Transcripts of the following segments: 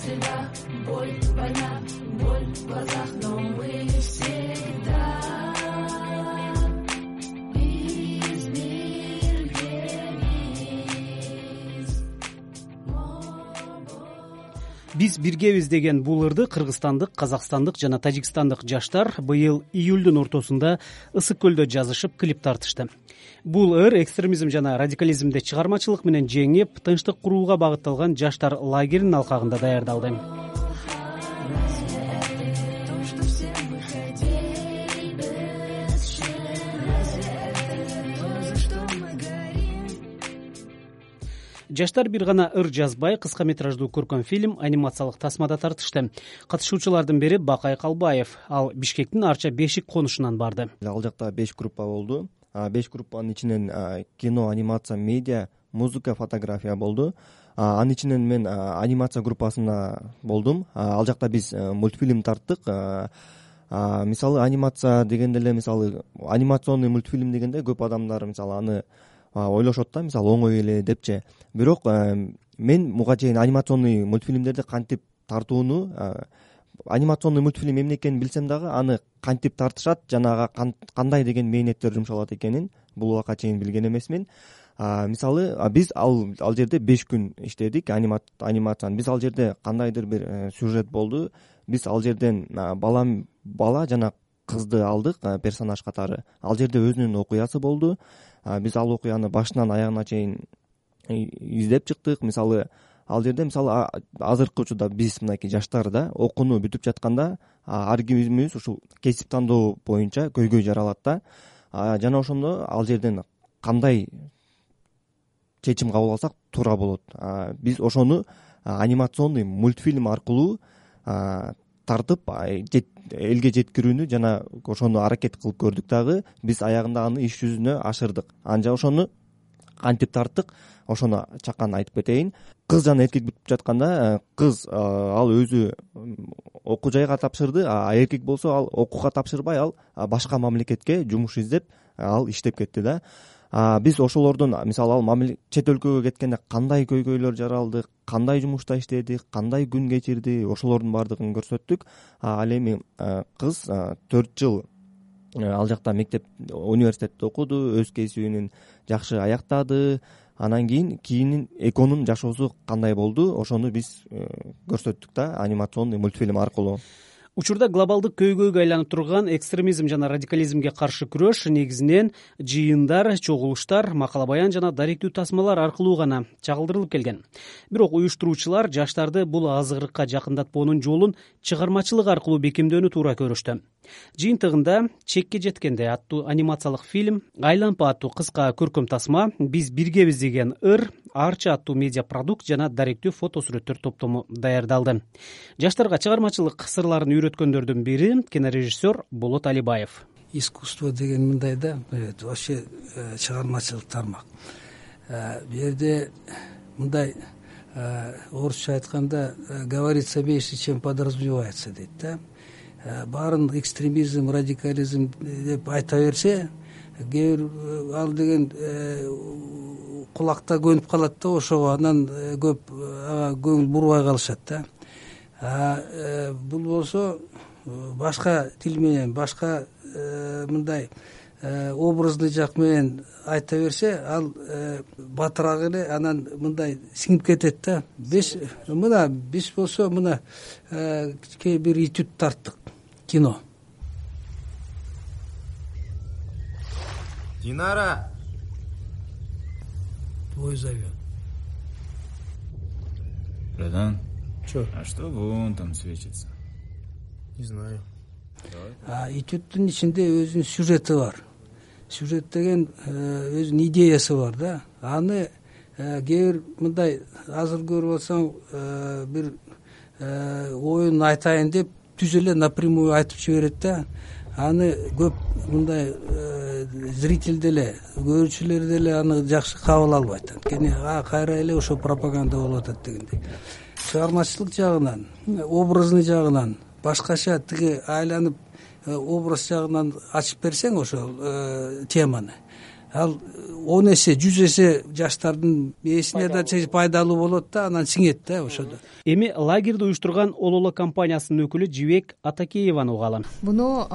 всегда боль, война, боль в глазах, но мы всегда Биз биргебиз деген бул ырды кыргызстандык, казакстандык жана тажикстандык жаштар быйыл июлдун ортосунда Ысык көлдө жазышып клип тартышты. Бул ыр экстремизм жана радикализмди чыгармачылык менен жеңип, тынчтык курууга багытталган жаштар лагеринин алкагында даярдалды. Жаштар бир гана ыр жазбай, кыска метраждуу көркөм фильм, анимациялык тасмада тартышты. Катышуучулардын бири Бакай Калбаев. Ал Бишкектин Арча Бешик конушунан барды. Ал жакта 5 группа болду. 5 группанын ичинен кино, анимация, медиа, музыка, фотография болду. Анын ичинен мен анимация группасына болдум. Ал жакта биз мультфильм тарттык. Мисалы анимация дегенде эле, мисалы анимационный мультфильм дегенде көп адамдар мисалы аны ойлошот да, мисалы оңой эле депчи. Бирок мен буга чейин анимационный мультфильмдерди кантип тартууну, анимационный мультфильм эмне экенин билсем дагы, аны кантип тартышат, жанагы кандай деген мээнеттер жумшалат экенин бул убакка чейин билген эмесмин. Мисалы биз ал жерде 5 күн иштедик анимацияны. Биз ал жерде кандайдыр бир сюжет болду. Биз ал жерден бала жана кызды алдык персонаж катары. Ал жерде өзүнүн окуясы болду. Биз ал окуяны башынан аягына чейин издеп чыктык. Мисалы ал жерде мисалы азыркы учурда биз мынакей жаштар да окууну бүтүп жатканда ар кимибиз ушул кесип тандоо боюнча көйгөй жаралат да. Жана ошондо ал жерден кандай чечим кабыл алсак туура болот. Биз ошону анимационный мультфильм аркылуу тартып элге жеткирүүнү жана ошону аракет кылып көрдүк дагы. Биз аягында аны иш жүзүнө ашырдык. Анча ошону кантип тарттык, ошону чакан айтып кетейин. Кыз жана эркек бүтүп жатканда, кыз ал өзү окуу жайга тапшырды, а эркек болсо ал окууга тапшырбай, ал башка мамлекетке жумуш издеп ал иштеп кетти да. Биз ошолордун мисалы ал чет өлкөгө кеткенде кандай көйгөйлөр жаралды, кандай жумушта иштеди, кандай күн кечирди, ошолордун баардыгын көрсөттүк. Ал эми кыз 4 жыл ал жакта мектеп, университетте окуду, өз кесибин жакшы аяктады. Анан кийин экөөнүн жашоосу кандай болду, ошону биз көрсөттүк да анимационный мультфильм аркылуу. Учурда глобалдык көйгөйгө айланып турган экстремизм жана радикализмге каршы күрөш негизинен жыйындар, чогулуштар, макала баян жана даректүү тасмалар аркылуу гана чагылдырылып келген. Бирок уюштуруучулар жаштарды бул азгырыкка жакындатпоонун жолун чыгармачылык аркылуу бекемдөөнү туура көрүштү. Жыйынтыгында Чекке жеткенде аттуу анимациялык фильм, Айлампа аттуу кыска көркөм тасма, Биз биргебиз деген ыр, Арча аттуу медиа продукт жана даректүү фото сүрөттөр топтому даярдалды. Жаштарга чыгармачылык сырларын үйрөткөндөрдүн бири кинорежиссер Болот Алибаев. Искусство деген мындай да, вообще чыгармачылык тармак. Бу жерде мындай орусча айтканда говорится меньше, чем подразумевается дейт да. Баарын экстремизм, радикализм деп айта берсе, ал деген кулакта көнүп калат да, ошого анан көп көңүл бурбай калышат да. Бул болсо башка тил менен, башка мындай образный жак менен айта берсе, ал батыраак эле анан мындай сиңип кетет да. Биз болсо мына бир этюд тарттык, кино. Динара! Твой зовет. Братан? Чё? А что вон там светится? Не знаю. Этюдтун ичинде өзүнүн сюжети бар. Сюжет деген өзүнүн идеясы бар да. Аны кээ бир мындай азыр көрүп алсаң, бир оюн айтайын деп түз эле напрямую айтып жиберет да. Аны көп мындай зритель деле, көрүүчүлөр деле аны жакшы кабыл албайт. Анткени кайра эле ошо пропаганда болуп атат дегендей. Чыгармачылык жагынан, образный жагынан башкача тиги айланып образ жагынан ачып берсең ошол теманы, ал 10 эсе 100 эсе жаштардын ээсине да пайдалуу болот да, анан сиңет да ошодо. Эми лагерди уюштурган Ололо компаниясынын өкүлү Жибек Атакееваны угалы. Буну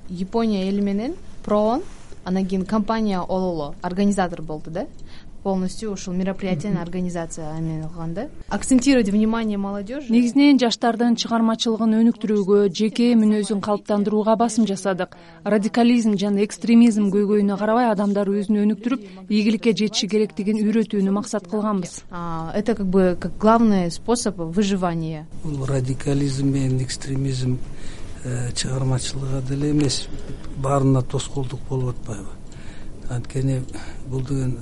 Япония эли менен проон, анан кийин компания Ололо организатор болду да. Полностью ушул мероприятиянын организация менен кылган да. Акцентировать внимание молодежи. Негизинен жаштардын чыгармачылыгын өнүктүрүүгө, жеке мүнөзүн калыптандырууга басым жасадык. Радикализм жана экстремизм көйгөйүнө карабай адамдар өзүн өнүктүрүп, ийгиликке жетиши керектигин үйрөтүүнү максат кылганбыз. Это как главный способ выживания. Бул радикализм менен экстремизм чыгармачылыгга деле эмес, баарына тоскоолдук болуп атпайбы? Анткени бул деген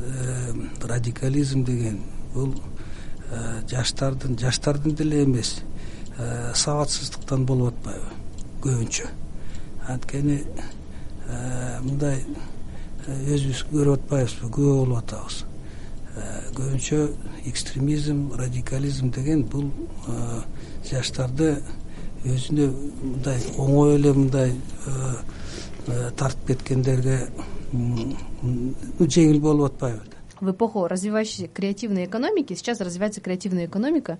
радикализм деген бул жаштардын деле эмес, сабатсыздыктан болуп атпайбы көбүнчө. Анткени мындай өзүбүз көрүп атпайбызбы, күбө болуп атабыз. Көбүнчө экстремизм, радикализм деген бул жаштарды өзүнө мындай оңой эле мындай тартып кеткендерге жеңил болуп атпайбы? В эпоху развивающейся креативной экономики сейчас развивается креативная экономика,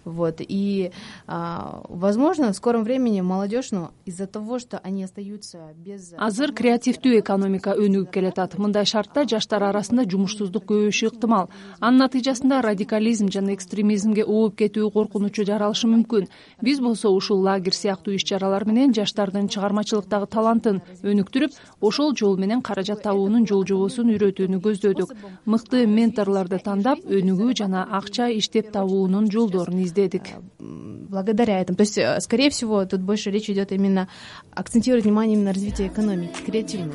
и возможно в скором времени молодежь, из-за того, что они остаются без. Азыр креативдүү экономика өнүгүп келатат. Мындай шартта жаштар арасында жумушсуздук көбөйүшү ыктымал. Анын натыйжасында радикализм жана экстремизмге ооп кетүү коркунучу жаралышы мүмкүн. Биз болсо ушул лагерь сыяктуу иш-чаралар менен жаштардын чыгармачылыктагы талантын өнүктүрүп, ошол жол менен каражат табуунун жол-жобосун үйрөтүүнү көздөдүк. Мыкты менторлорду тандап, өнүгүү жана акча иштеп табуунун жолдорун издедик. Благодаря этому. То есть, скорее всего, тут больше речь идет именно акцентировать внимание именно на развитии экономики, креативной.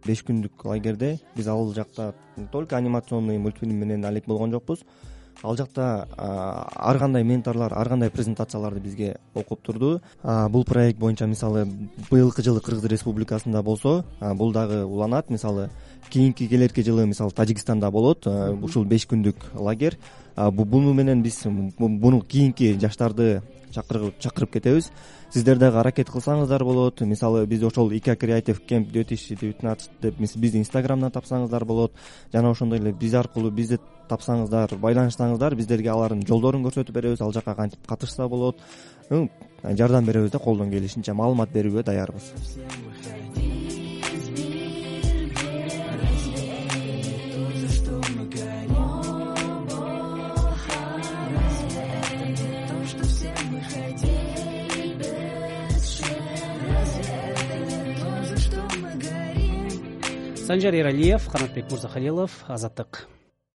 Беш күндүк лагерде биз ал жакта только анимационный мультфильм менен алек болгон жокпуз. Ал жакта ар кандай менторлор, ар кандай презентацияларды бизге окуп турду. Бул проект боюнча мисалы быйылкы жылы Кыргыз Республикасында болсо, бул дагы уланат. Мисалы кийинки келерки жылы мисалы Тажикстанда болот ушул 5 күндүк лагерь. Буну менен биз буну кийинки жаштарды чакырып кетебиз. Сиздер дагы аракет кылсаңыздар болот. Мисалы биз ошол ИК Creative Camp 2019 деп бизди Инстаграмдан тапсаңыздар болот. Жана ошондой эле биз аркылуу бизди тапсаңыздар, байланыштаңыздар, биздерге алардын жолдорун көрсөтүп беребиз. Ал жака кантип катышса болот. Жардам беребиз да, колдон келишинче маалымат берүүгө даярбыз. Санжар Эралиев, Канатбек Мурзахалилов, Азаттык.